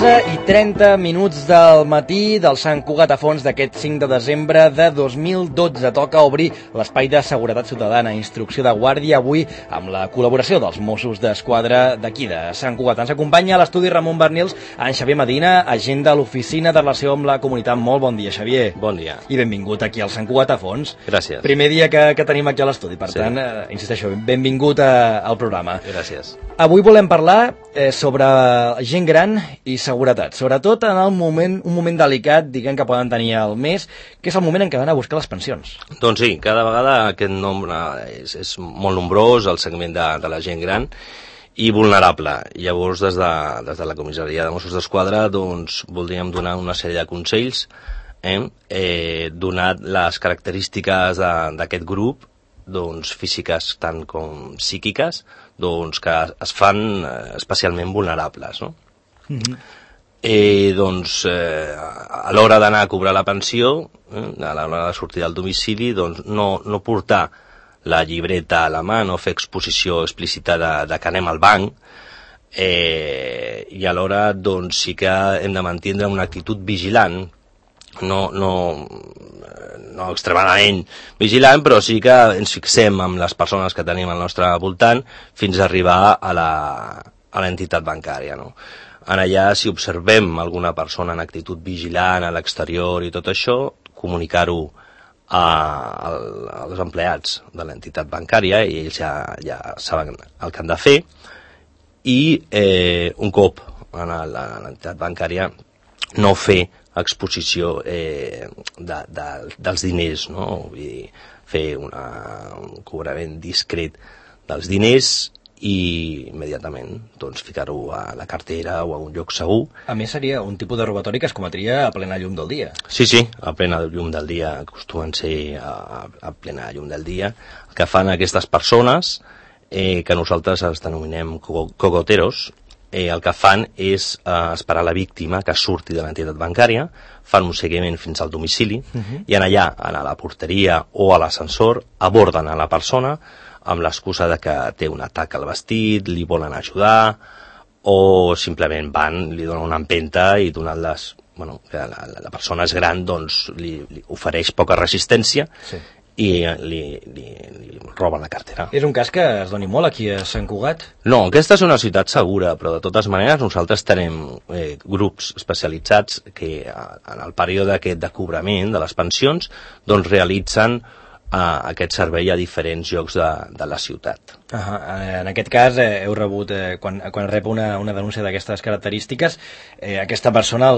11:30 del matí del Sant Cugat a Fons d'aquest 5 de desembre de 2012. Toca obrir l'espai de seguretat ciutadana, instrucció de guàrdia, avui amb la col·laboració dels Mossos d'Esquadra d'aquí de Sant Cugat. Ens acompanya a l'estudi Ramon Bernils, en Xavier Medina, agent de l'Oficina de Relació amb la Comunitat. Molt bon dia, Xavier. Bon dia. I benvingut aquí al Sant Cugat a Fons. Gràcies. Primer dia que tenim aquí a l'estudi, per tant, insisteixo, benvingut al programa. Gràcies. Avui volem parlar sobre gent gran i seguretat, sobretot en un moment delicat, diguem, que poden tenir al mes, que és el moment en què van a buscar les pensions. Doncs sí, cada vegada aquest nombre és molt nombrós, el segment de la gent gran i vulnerable. Llavors, des de la comissaria de Mossos d'Esquadra, doncs, voldríem donar una sèrie de consells, donat les característiques d'aquest grup, doncs, físiques tant com psíquiques, doncs, que es fan especialment vulnerables, no? Doncs, a l'hora d'anar a cobrar la pensió, a l'hora de sortir del domicili, doncs, no portar la llibreta a la mà, no fer exposició explícita de que anem al banc, i alhora, doncs, sí que hem de mantenir una actitud vigilant, no extremadament vigilant, però sí que ens fixem amb les persones que tenim al nostre voltant fins a arribar a l'entitat bancària, no? En allà, si observem alguna persona en actitud vigilant a l'exterior i tot això, comunicar-ho als empleats de l'entitat bancària, i ells ja saben el que han de fer, i un cop a l'entitat bancària no fer exposició dels diners, no? Vull dir, fer un cobrament discret dels diners i immediatament doncs, ficar-ho a la cartera o a un lloc segur. A més, seria un tipus de robatori que es cometria a plena llum del dia. Sí, a plena llum del dia, acostumen ser a plena llum del dia. El que fan aquestes persones, que nosaltres els denominem cogoteros, el que fan és esperar la víctima que surti de l'entitat bancària, fan un seguiment fins al domicili, i en allà, a la porteria o a l'ascensor, aborden a la persona amb l'excusa de que té un atac al vestit, li volen ajudar, o simplement van, li donen una empenta i donant-les, que la persona és gran, doncs li ofereix poca resistència, i li roben la cartera. És un cas que es doni molt aquí a Sant Cugat? No, aquesta és una ciutat segura, però de totes maneres nosaltres tenim grups especialitzats que en el període aquest de cobrament de les pensions doncs realitzen aquest servei a diferents llocs de la ciutat. En aquest cas heu rebut, quan rep una denúncia d'aquestes característiques, aquesta persona,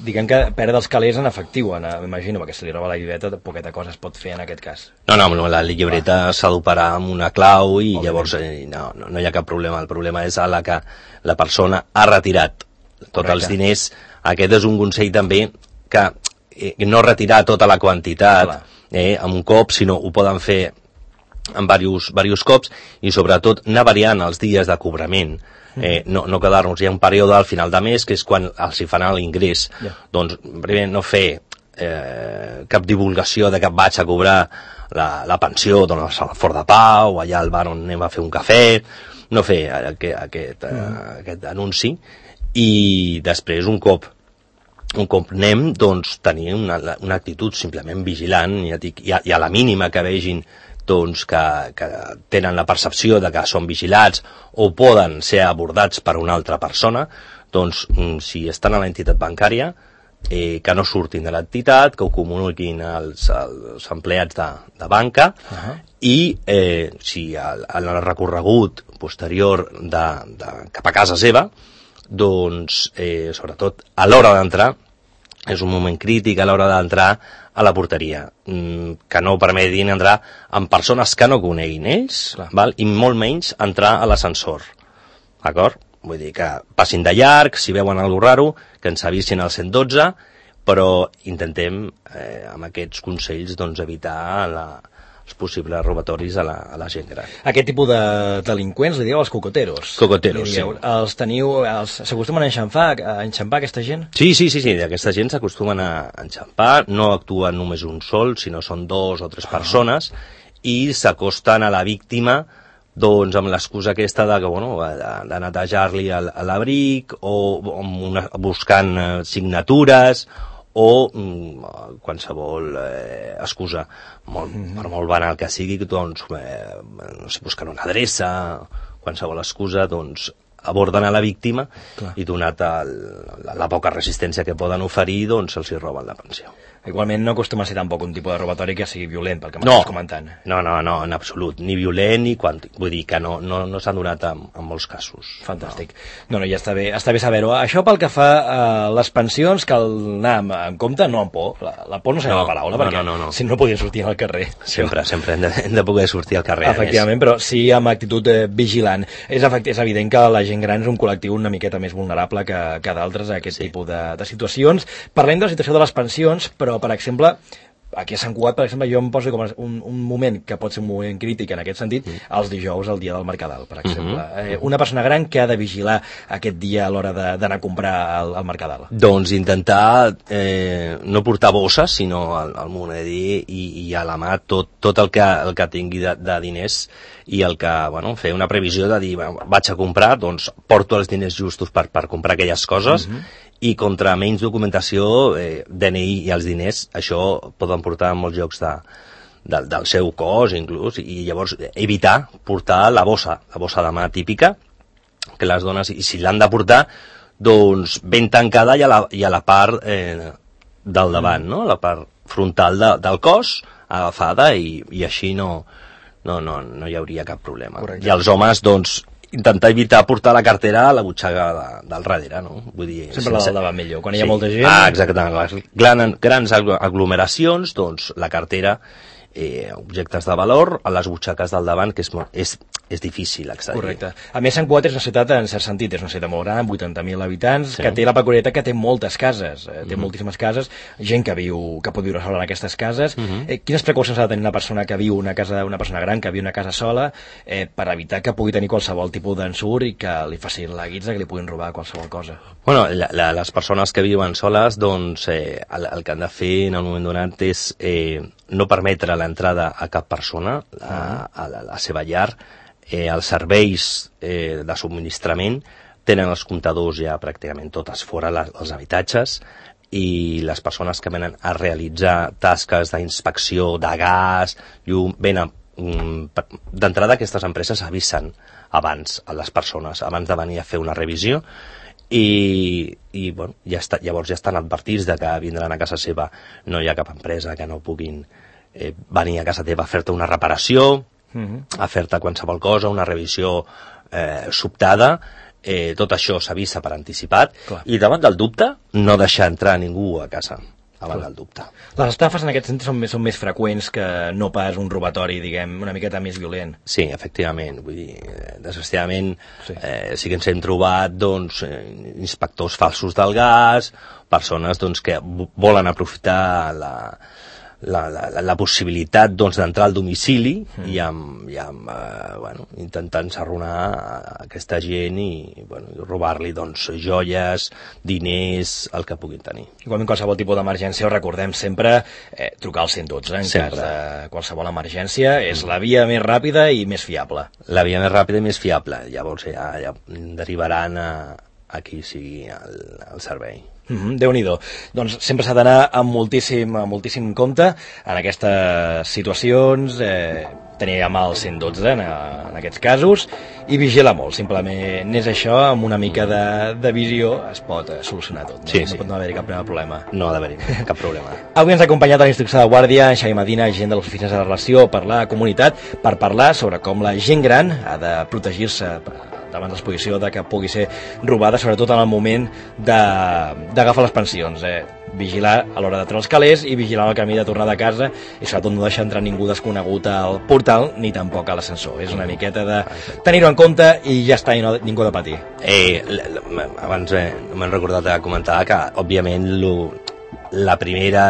diguem que perd els calés en efectiu, m'imagino, perquè se li roba la llibreta, poqueta cosa es pot fer en aquest cas. No, la llibreta s'ha d'operar amb una clau i llavors no hi ha cap problema. El problema és a la que la persona ha retirat tots els diners. Aquest és un consell també que no retirar tota la quantitat amb un cop, sinó ho poden fer en diversos cops i sobretot anar variant els dies de cobrament, no quedar-nos. Hi ha un període al final de mes que és quan els hi fan l'ingrés. Doncs primer no fer cap divulgació de que vaig a cobrar la pensió doncs, al Fort de Pau o allà al bar on anem a fer un cafè, no fer aquest anunci, i després un cop anem, doncs, tenir una actitud simplement vigilant i a la mínima que vegin doncs, que tenen la percepció de que són vigilats o poden ser abordats per una altra persona, doncs, si estan a l'entitat bancària, que no surtin de l'entitat, que ho comuniquin als empleats de banca, i si en el recorregut posterior cap a casa seva, doncs, sobretot a l'hora d'entrar, és un moment crític a l'hora d'entrar a la porteria, que no permetin entrar amb persones que no coneguin ells, i molt menys entrar a l'ascensor, d'acord? Vull dir que passin de llarg, si veuen alguna raro, que ens avisin al 112, però intentem amb aquests consells doncs, evitar els possibles robatoris a la gent gran. Aquest tipus de delinqüents li dieu els cocoteros. Cocoteros, sí. Els teniu, s'acostumen a enxampar aquesta gent? Sí, aquesta gent s'acostumen a enxampar, no actuen només un sol, sinó són 2 o 3 persones, i s'acosten a la víctima doncs amb l'excusa aquesta de, que, bueno, de netejar-li l'abric o buscant signatures o qualsevol excusa, per molt banal que sigui, doncs, no sé, buscant una adreça, qualsevol excusa, doncs, aborden a la víctima. Clar. I donat la poca resistència que poden oferir, doncs se'ls roben la pensió. Igualment no acostuma a ser tampoc un tipus de robatori que sigui violent, pel que m'estàs comentant. No, en absolut, ni violent ni vull dir que no s'han donat en molts casos. Fantàstic. No, ja està bé saber-ho. Això pel que fa a les pensions, cal anar amb compte, no amb por. La por no serà la paraula, perquè si no podien sortir al carrer. Sempre hem de poder sortir al carrer. Efectivament, però sí amb actitud vigilant. És evident que la gent gran és un col·lectiu una miqueta més vulnerable que d'altres a aquest tipus de situacions. Parlem de la situació de les pensions, però per exemple, aquí a Sant Cugat, per exemple, jo em poso com un moment que pot ser un moment crític en aquest sentit, els dijous, el dia del Mercadal, per exemple. Una persona gran que ha de vigilar aquest dia a l'hora d'anar a comprar al Mercadal. Doncs intentar no portar bosses, sinó al moneder i a la mà tot el que tingui de diners i el que, bueno, fer una previsió de dir, vaig a comprar, doncs porto els diners justos per comprar aquelles coses, i contra menys documentació, DNI i els diners, això poden portar en molts llocs del seu cos inclús, i llavors evitar portar la bossa de mà típica, que les dones, i si l'han de portar, doncs ben tancada i a la part del davant, no? La part frontal del cos, agafada, i així no hi hauria cap problema. Correcte. I els homes, doncs, intentar evitar portar la cartera a la butxaca del darrere, no? Vull dir, sempre la del davant millor, quan hi ha molta gent. Exactament. Grans aglomeracions, doncs la cartera, objectes de valor, a les butxaques del davant, que és difícil accedir. Correcte. A més, Sant Cugat és una ciutat, en cert sentit, és una ciutat molt gran, 80.000 habitants, que té la peculiaritat que té moltes cases, té moltíssimes cases, gent que pot viure sola en aquestes cases. Quines precaucions ha de tenir una persona que viu una persona gran, que viu una casa sola, per evitar que pugui tenir qualsevol tipus d'ensurt i que li facin la guitza, que li puguin robar qualsevol cosa? Bueno, les persones que viuen soles, doncs, el que han de fer en un moment donat és no permetre l'entrada a cap persona a la seva llar. Els serveis de subministrament tenen els comptadors ja pràcticament totes fora els habitatges, i les persones que venen a realitzar tasques d'inspecció de gas, llum, d'entrada aquestes empreses avisen abans a les persones, abans de venir a fer una revisió, i bueno, llavors ja estan advertits de que vindran a casa seva. No hi ha cap empresa que no puguin venir a casa teva a fer-te una reparació, a fer-te qualsevol cosa, una revisió sobtada. Tot això s'avisa per anticipat. Clar. I davant del dubte, no deixar entrar ningú a casa davant del dubte. Les estafes en aquest sentit són més freqüents que no pas un robatori, diguem, una miqueta més violent. Sí, efectivament. Vull dir, desgraciadament sí que ens hem trobat, doncs, inspectors falsos del gas, persones, doncs, que volen aprofitar la possibilitat, doncs, d'entrar al domicili i intentant encerronar aquesta gent i robar-li, doncs, joies, diners, el que puguin tenir. Igualment, qualsevol tipus d'emergència, ho recordem sempre, trucar al 112 en cas de qualsevol emergència, és la via més ràpida i més fiable. La via més ràpida i més fiable, llavors ja derivaran a qui sigui el servei. Déu-n'hi-do. Doncs sempre s'ha d'anar amb moltíssim compte en aquestes situacions, tenir a mà el 112 en aquests casos i vigilar molt. Simplement és això, amb una mica de visió es pot solucionar tot. No? Sí. No pot haver-hi cap problema. No ha d'haver-hi cap problema. Avui ens ha acompanyat a la instrucció de guàrdia en Xavi Medina, agent de les oficines de relació per la comunitat, per parlar sobre com la gent gran ha de protegir-se davant l'exposició de que pugui ser robada, sobretot en el moment d'agafar les pensions. Vigilar a l'hora de treure els calés i vigilar el camí de tornada a casa, i sobretot no deixar entrar ningú desconegut al portal ni tampoc a l'ascensor. És una miqueta de tenir-ho en compte i ja està, i ningú ha de patir. Abans m'he recordat de comentar que, òbviament, la primera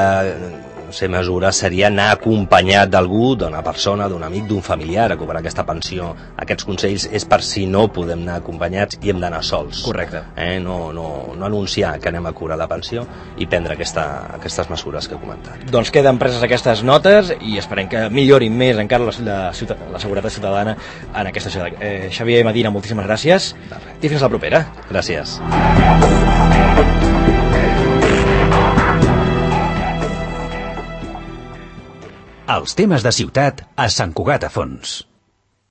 ser mesura seria anar acompanyat d'algú, d'una persona, d'un amic, d'un familiar a cobrar aquesta pensió. Aquests consells és per si no podem anar acompanyats i hem d'anar sols. Correcte. No anunciar que anem a cobrar la pensió i prendre aquestes mesures que he comentat. Doncs queden preses aquestes notes i esperem que millorin més encara la seguretat ciutadana en aquesta ciutat. Xavier Medina, moltíssimes gràcies i fins la propera. Gràcies. Els temes de ciutat a Sant Cugat a Fons.